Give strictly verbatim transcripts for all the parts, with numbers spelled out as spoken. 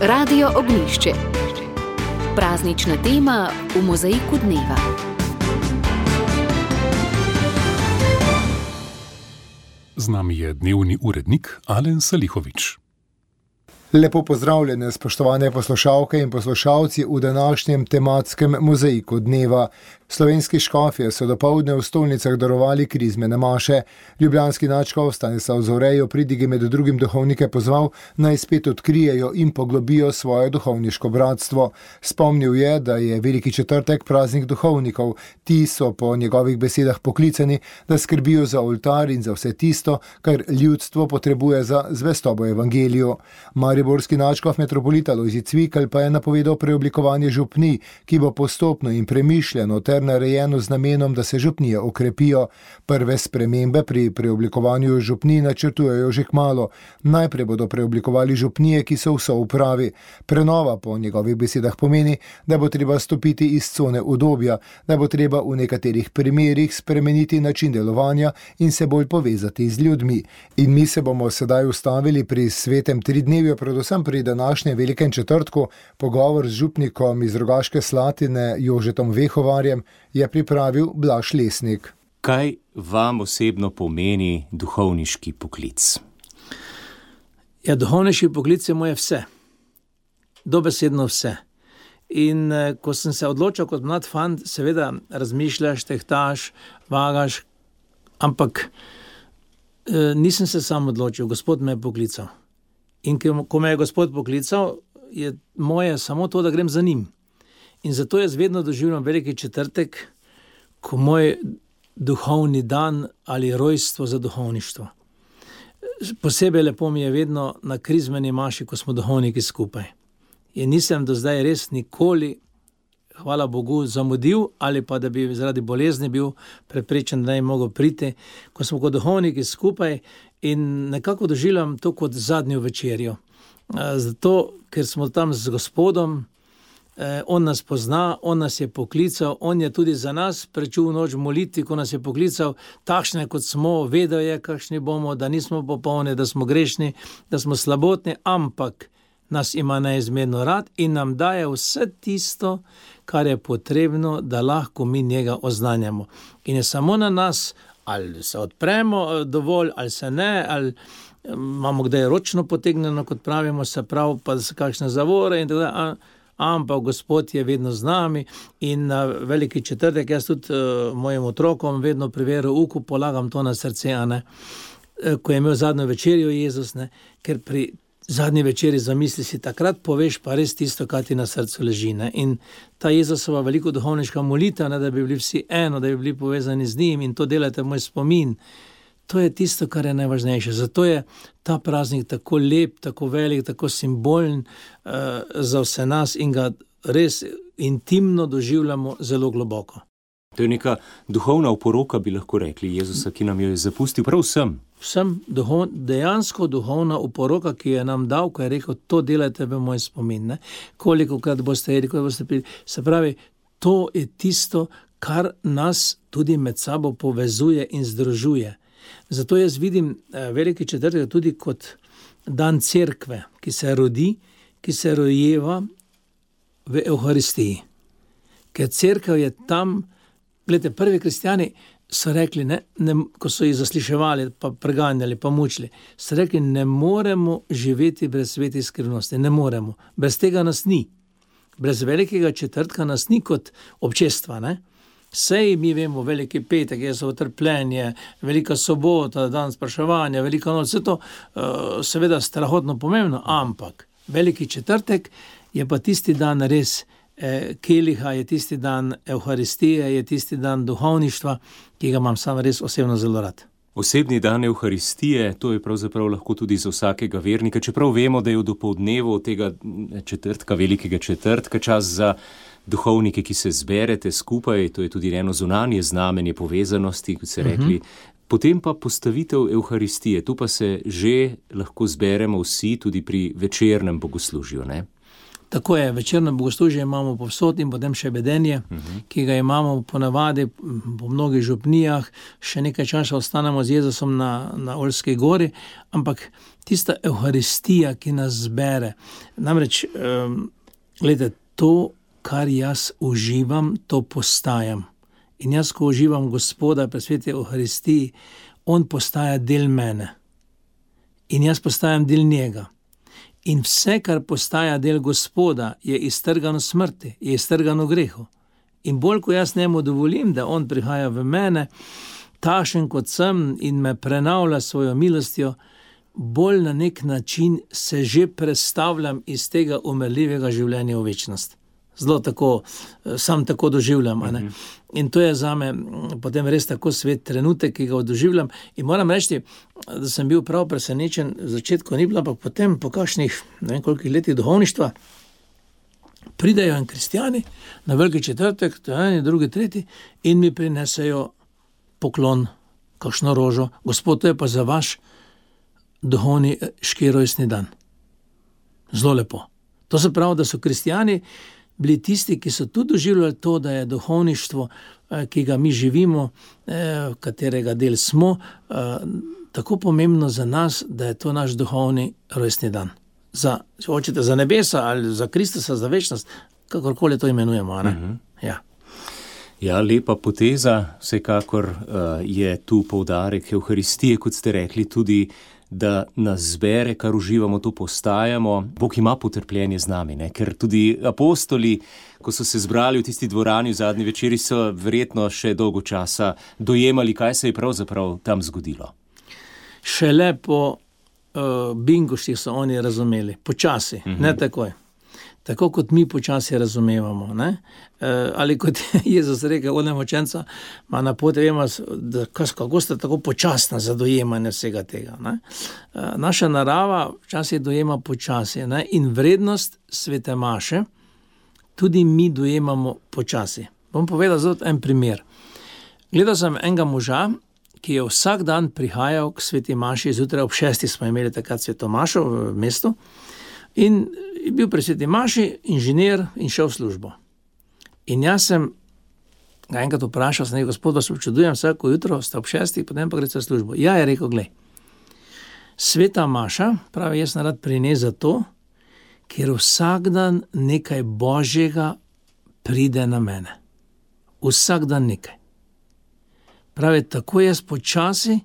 Radio Ognjišče. Praznična tema v mozaiku dneva. Z nami je dnevni urednik Alen Salihovič. Lepo pozdravljene, spoštovane poslušalke in poslušalci v današnjem tematskem mozaiku dneva. Slovenski škofje so dopoldne v stolnicah darovali krizmene maše. Ljubljanski nadškof Stanislav Zore je v pridigi med drugim duhovnike pozval, naj spet odkrijejo in poglobijo svoje duhovniško bratstvo. Spomnil je, da je Veliki četrtek praznik duhovnikov. Ti so po njegovih besedah poklicani, da skrbijo za oltar in za vse tisto, kar ljudstvo potrebuje za zvestobo evangeliju. Mariborski nadškof metropolita Lojzi Cvikl pa je napovedal preoblikovanje župnij, ki bo postopno in premišljeno ter narejeno z namenom, da se župnije okrepijo. Prve spremembe pri preoblikovanju župnij načrtujejo že kmalu. Najprej bodo preoblikovali župnije, ki so v soupravi. Prenova po njegovih besedah pomeni, da bo treba stopiti iz cone udobja, da bo treba v nekaterih primerih spremeniti način delovanja in se bolj povezati z ljudmi. In mi se bomo sedaj ustavili pri svetem tridnevju, predvsem pri današnjem Velikem četrtku. Pogovor z župnikom iz Rogaške Slatine Jožetom Vehovarjem je pripravil Blaž Lesnik. Kaj vam osebno pomeni duhovniški poklic? Ja, duhovniški poklic je moje vse. Dobesedno vse. In eh, ko sem se odločil kot mlad fant, seveda razmišljaš, tehtaš, vagaš, ampak eh, nisem se sam odločil, Gospod me je poklical. In ko me je Gospod poklical, je moje samo to, da grem za njim. In zato jaz vedno doživljam Veliki četrtek, ko moj duhovni dan ali rojstvo za duhovništvo. Posebej lepo mi je vedno na krizmeni maši, ko smo duhovniki skupaj. In nisem do zdaj res nikoli, hvala Bogu, zamudil ali pa da bi zaradi bolezni bil prepričan, da ne bi mogel priti, ko smo kot duhovniki skupaj in nekako doživljam to kot zadnjo večerjo. Zato, ker smo tam z Gospodom, On nas pozna, On nas je poklical, On je tudi za nas prečul noč v molitvi, ko nas je poklical, takšne kot smo, vedel je, kakšni bomo, da nismo popolni, da smo grešni, da smo slabotni, ampak nas ima neizmerno rad in nam daje vse tisto, kar je potrebno, da lahko mi njega oznanjamo. In je samo na nas, ali se odpremo dovolj, ali se ne, ali imamo kdaj ročno potegnjeno, kot pravimo, se prav, pa da se kakšne zavore in tako da, ampak Gospod je vedno z nami in na Veliki četrtek jaz tudi uh, mojim otrokom vedno pri verouku polagam to na srce, a ne, ko je imel zadnjo večerjo Jezus, ne, ker pri zadnji večeri zamisli si takrat poveš pa res tisto, kar ti na srcu leži, ne. In ta Jezusova veliko duhovniška molitev, ne, da bi bili vsi eno, da bi bili povezani z njim in to delate moj spomin. To je tisto, kar je najvažnejše. Zato je ta praznik tako lep, tako velik, tako simbolen uh, za vse nas in ga res intimno doživljamo zelo globoko. To je neka duhovna oporoka, bi lahko rekli, Jezusa, ki nam jo je zapustil prav vsem. Vsem duhov, dejansko duhovna oporoka, ki je nam dal, ko je rekel, to delajte v moj spomin. Ne? Kolikokrat boste jedli, koliko boste pili. Se pravi, to je tisto, kar nas tudi med sabo povezuje in združuje. Zato jaz vidim Veliki četrtek tudi kot dan cerkve, ki se rodi, ki se rojeva v Evharistiji. Ker cerkev je tam, gledajte, prvi kristjani so rekli, ne, ne, ko so jih zasliševali, pa preganjali, pa mučili, so rekli, ne moremo živeti brez svetih skrivnosti, ne moremo. Brez tega nas ni. Brez Velikega četrtka nas ni kot občestva, ne. Sej mi vemo, Veliki petek, je so utrpljenje, Velika sobota, dan spraševanja, Velika noč, vse to uh, seveda strahotno pomembno, ampak Veliki četrtek je pa tisti dan res eh, keliha, je tisti dan Evharistije, je tisti dan duhovništva, ki ga imam sam res osebno zelo rad. Osebni dan Evharistije, to je pravzaprav lahko tudi za vsakega vernika, čeprav vemo, da je v dopoldnevu tega četrtka, Velikega četrtka, čas za duhovnike, ki se zberete skupaj, to je tudi eno zunanje znamenje povezanosti, kot se rekli. Uh-huh. Potem pa postavitev Evharistije, tu pa se že lahko zberemo vsi tudi pri večernem bogoslužju, ne? Tako je, večerno bogoslužje imamo povsod in potem še bedenje, uh-huh. ki ga imamo ponavadi po mnogih župnijah, še nekaj časa ostanemo z Jezusom na, na Oljski gori, ampak tista Evharistija, ki nas zbere, namreč, um, gledajte, to, kar jaz uživam, to postajam. In jaz, ko uživam Gospoda pri sveti Evharistiji, on postaja del mene. In jaz postajam del njega. In vse, kar postaja del Gospoda, je iztrgano smrti, je iztrgano grehu. In bolj, ko jaz njemu dovolim, da on prihaja v mene, takšen kot sem in me prenavlja svojo milostjo, bolj na nek način se že prestavljam iz tega umrljivega življenja v večnost. Zelo tako, sam tako doživljam. A ne? In to je zame potem res tako svet trenutek, ki ga doživljam. In moram reči, da sem bil prav presenečen, v začetku ni bilo, ampak potem po kakšnih, ne vem koliko letih duhovništva, pridejo in kristjani na veliki četrtek, to je eni, drugi, tretji, in mi prinesejo poklon, kakšno rožo. Gospod, to je pa za vaš duhovniški rojstni dan. Zelo lepo. To se pravi, da so kristjani bili tisti, ki so tudi doživljali to, da je duhovništvo, ki ga mi živimo, katerega del smo, tako pomembno za nas, da je to naš duhovni rojstni dan. Za, če hočete, za nebesa ali za Kristusa, za večnost, kakorkoli to imenujemo. Ne? Uh-huh. Ja. Ja, lepa poteza, vsekakor uh, je tu poudarek Evharistije, kot ste rekli, tudi da nas zbere, kar uživamo, to postajamo. Bog ima potrpljenje z nami, ne? Ker tudi apostoli, ko so se zbrali v tisti dvorani v zadnji večeri, so verjetno še dolgo časa dojemali, kaj se je pravzaprav tam zgodilo. Šele po uh, bingoštih so oni razumeli, počasi, uh-huh. ne takoj. Tako kot mi počasi razumevamo. Ne? E, ali kot Jezus rekel, onemu učenca, ma na poti vemo, da kako ste tako počasna za dojemanje vsega tega. Ne? E, naša narava včasih dojema počasi, ne? In vrednost svete maše tudi mi dojemamo počasi. Bom povedal zelo en primer. Gledal sem enega moža, ki je vsak dan prihajal k sveti maši, zjutraj ob šestih smo imeli takrat sveto mašo v mestu, in je bil pri sveti maši, inženir in šel v službo. In jaz sem ga enkrat vprašal, sem rekel, gospod, vas občudujem vsako jutro, ste ob šestih, potem pa greste v službo. Ja, je rekel, glej, sveta maša, pravi, jaz sem rad prines zato, ker vsak dan nekaj božjega pride na mene. Vsak dan nekaj. Pravi, tako jaz počasi,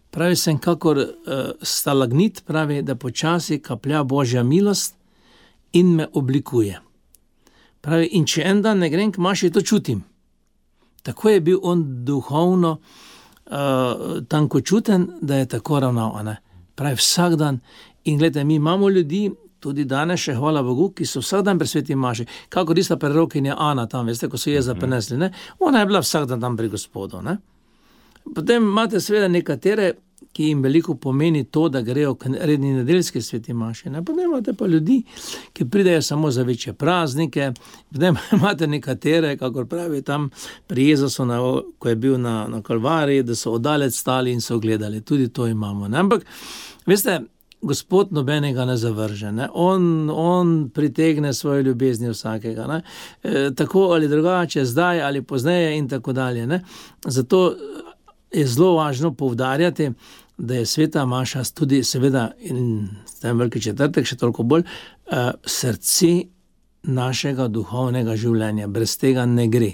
pravi, sem kakor uh, stalagnit, pravi, da počasi kaplja božja milost in me oblikuje. Pravi, in če en dan ne grem k maši, to čutim. Tako je bil on duhovno uh, tankočuten, da je tako ravnal. Ne? Pravi, vsak dan. In gledajte, mi imamo ljudi, tudi danes še, hvala Bogu, ki so vsak dan pri sveti maši, kako tista prerokinja Ana tam, veste, ko so Jeza prinesli, ne? Ona je bila vsak dan tam pri Gospodu. Ne? Potem imate seveda nekatere, ki jim veliko pomeni to, da grejo k redni nedeljski sveti maši. Ne? Potem imate pa ljudi, ki pridejo samo za večje praznike. Potem imate nekatere, kakor pravi tam pri Jezusu, na, ko je bil na, na Kalvariji, da so oddalec stali in so gledali. Tudi to imamo. Ne? Ampak, veste, Gospod nobenega ne zavrže. Ne? On, on pritegne svoje ljubezni vsakega. Ne? E, tako ali drugače, zdaj ali pozneje in tako dalje. Ne? Zato je zelo važno poudarjati, da je sveta maša tudi seveda in tem veliki četrtek še toliko bolj uh, srce našega duhovnega življenja. Brez tega ne gre.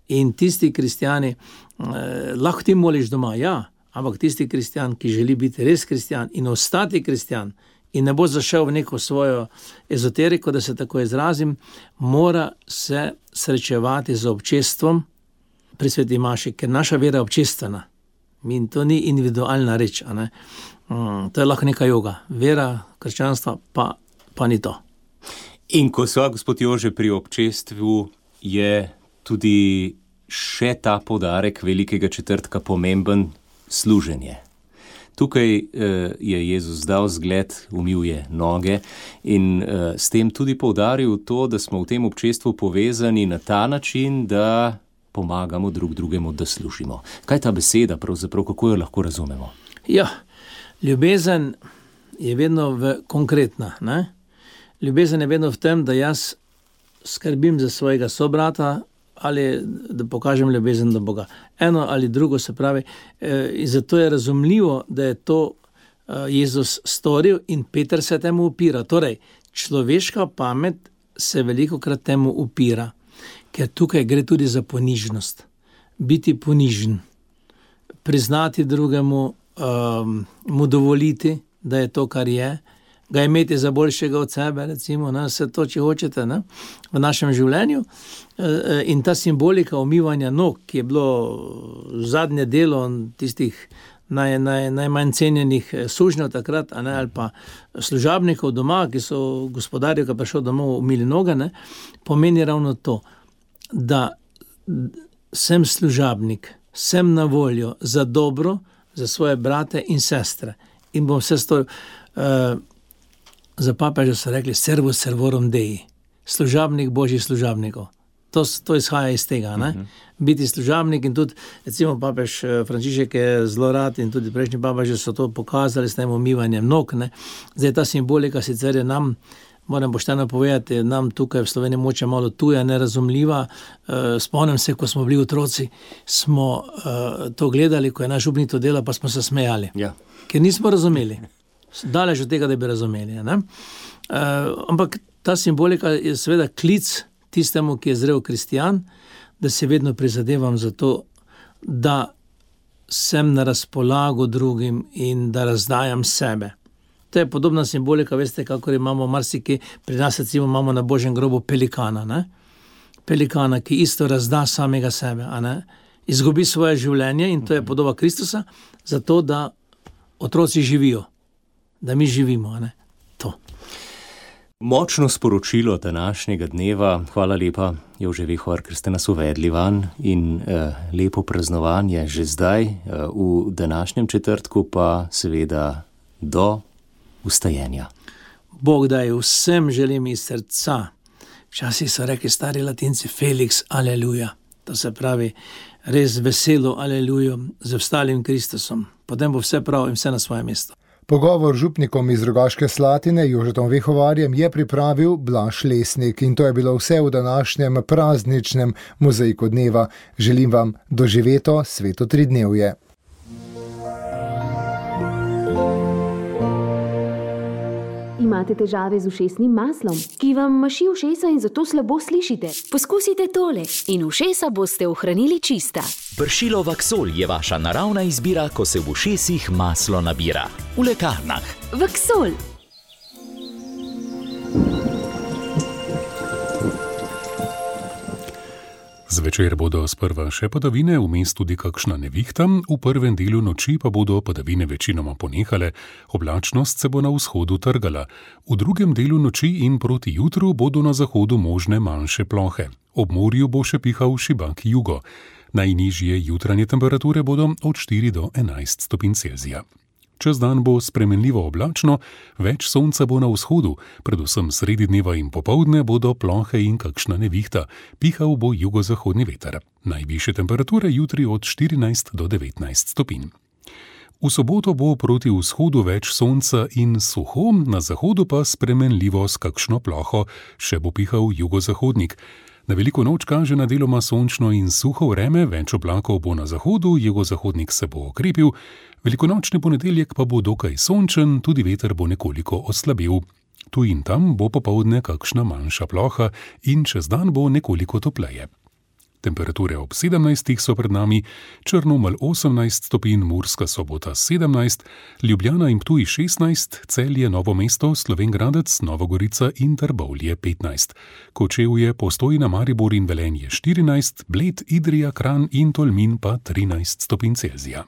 In tisti kristjani, uh, lahko ti moliš doma, ja, ampak tisti kristjan, ki želi biti res kristjan in ostati kristjan in ne bo zašel v neko svojo ezoteriko, da se tako izrazim, mora se srečevati z občestvom pri sveti maši, ker naša vera je občestvena. In to ni individualna reč. A ne? Um, to je lahko neka joga. Vera, krščanstva pa, pa ni to. In ko sva, gospod Jože, pri občestvu, je tudi še ta poudarek velikega četrtka pomemben, služenje. Tukaj eh, je Jezus dal zgled, umil je noge in eh, s tem tudi poudaril to, da smo v tem občestvu povezani na ta način, da pomagamo drug drugemu, da služimo. Kaj je ta beseda pravzaprav, kako jo lahko razumemo? Ja, ljubezen je vedno v konkretna. Ne? Ljubezen je vedno v tem, da jaz skrbim za svojega sobrata ali da pokažem ljubezen do Boga. Eno ali drugo, se pravi, in zato je razumljivo, da je to Jezus storil in Peter se temu upira. Torej, človeška pamet se velikokrat temu upira, ker tukaj gre tudi za ponižnost. Biti ponižen, priznati drugemu, um, mu dovoliti, da je to, kar je, ga imeti za boljšega od sebe, recimo, ne, vse to, če hočete, ne, v našem življenju. In ta simbolika umivanja nog, ki je bilo zadnje delo tistih naj, naj, najmanj cenjenih sužnjev takrat, a ne, ali pa služabnikov doma, ki so gospodarju, ki je prišel domov, umili noge, ne, pomeni ravno to, da sem služabnik, sem na voljo za dobro, za svoje brate in sestre. In bom vse storil. Uh, za papeža so rekli servus servorum Dei, služabnik božjih služabnikov. To, to izhaja iz tega, ne? Uh-huh. Biti služabnik in tudi, recimo papež Frančišek je zelo rad in tudi prejšnji papeži so to pokazali s tem umivanjem nog, ne? Zdaj ta simbolika sicer je nam, moram pošteno povedati, nam tukaj v Sloveniji moče malo tuja, nerazumljiva. Spomnim se, ko smo bili otroci, smo to gledali, ko je naš župnik to delal, pa smo se smejali. Ja. Ker nismo razumeli. Daleč od tega, da bi razumeli. Ne? Ampak ta simbolika je seveda klic tistemu, ki je zrel kristjan, da se vedno prizadevam za to, da sem na razpolago drugim in da razdajam sebe. To je podobna simbolika, veste, kakor imamo marsikaj, pri nas recimo imamo na Božjem grobu pelikana, ne? Pelikana, ki isto razda samega sebe, a ne? Izgubi svoje življenje in to je podoba Kristusa, zato da otroci živijo, da mi živimo, a ne? To. Močno sporočilo današnjega dneva, hvala lepa, Jože Vihor, ker ste nas uvedli van in eh, lepo praznovanje že zdaj, eh, v današnjem četrtku pa seveda do ustajenja. Bog daj, vsem želim iz srca. Včasih so rekli stari Latinci Felix, aleluja. To se pravi res veselo alelujo z vstalim Kristusom. Potem bo vse prav in vse na svoje mesto. Pogovor z župnikom iz Rogaške Slatine, Jožetom Vihovarjem, je pripravil Blaž Lesnik in to je bilo vse v današnjem prazničnem mozaiku dneva. Želim vam doživeto sveto tridnevje. Imate težave z ušesnim maslom, ki vam maši ušesa in zato slabo slišite? Poskusite tole in ušesa boste ohranili čista. Pršilo Vaksol je vaša naravna izbira, ko se v ušesih maslo nabira. V lekarnah. Vaksol. Zvečer bodo sprva še padavine, vmes tudi kakšna nevihta, v prvem delu noči pa bodo padavine večinoma ponehale, oblačnost se bo na vzhodu trgala. V drugem delu noči in proti jutru bodo na zahodu možne manjše plohe. Ob morju bo še pihal šibak jugo. Najnižje jutranje temperature bodo od štiri do enajst stopinj Celzija. Čez dan bo spremenljivo oblačno, več sonca bo na vzhodu, predvsem sredi dneva in popoldne bodo plohe in kakšna nevihta, pihal bo jugozahodni veter. Najvišje temperature jutri od štirinajst do devetnajst stopinj. V soboto bo proti vzhodu več sonca in suho, na zahodu pa spremenljivo s kakšno ploho, še bo pihal jugozahodnik. Na veliko noč kaže na deloma sončno in suho vreme, več oblakov bo na zahodu, jugozahodnik se bo okrepil, velikonočni ponedeljek pa bo dokaj sončen, tudi veter bo nekoliko oslabil. Tu in tam bo popoldne kakšna manjša ploha in čez dan bo nekoliko topleje. Temperature ob sedemnajstih so pred nami, Črnomelj osemnajst stopinj, Murska Sobota sedemnajst, Ljubljana in Ptuj šestnajst, Celje, Novo mesto, Slovenj Gradec, Novogorica in Trbovlje petnajst. Kočevje, Postojna, Maribor in Velenje štirinajst, Bled, Idrija, Kranj in Tolmin pa trinajst stopinj Celzija.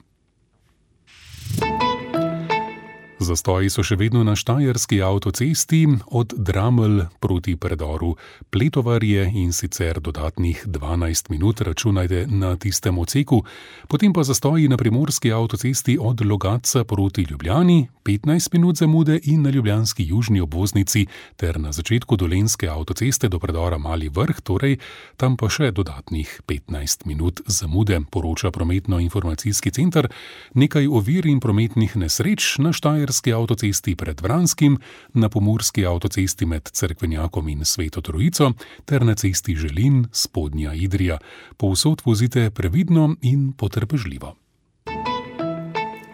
Zastoji so še vedno na štajerski avtocesti od Dramelj proti predoru Pletovarje in sicer dodatnih dvanajst minut, računajte na tistem odseku, potem pa zastoji na primorski avtocesti od Logatca proti Ljubljani, petnajst minut zamude in na ljubljanski južni obvoznici ter na začetku dolenjske avtoceste do predora Mali Vrh, torej tam pa še dodatnih petnajst minut zamude, poroča prometno-informacijski center. Nekaj ovir in prometnih nesreč na štajerski Štajerski avtocesti pred Vranskim, na Pomurski avtocesti med Cerkvenjakom in Sveto Trojico ter na cesti Želin, Spodnja Idrija. Povsod vozite previdno in potrpežljivo.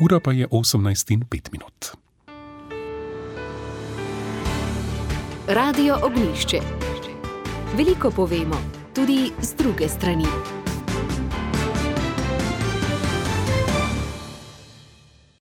Ura pa je osemnajst in pet minut. Radio Ognjišče. Veliko povemo, tudi z druge strani.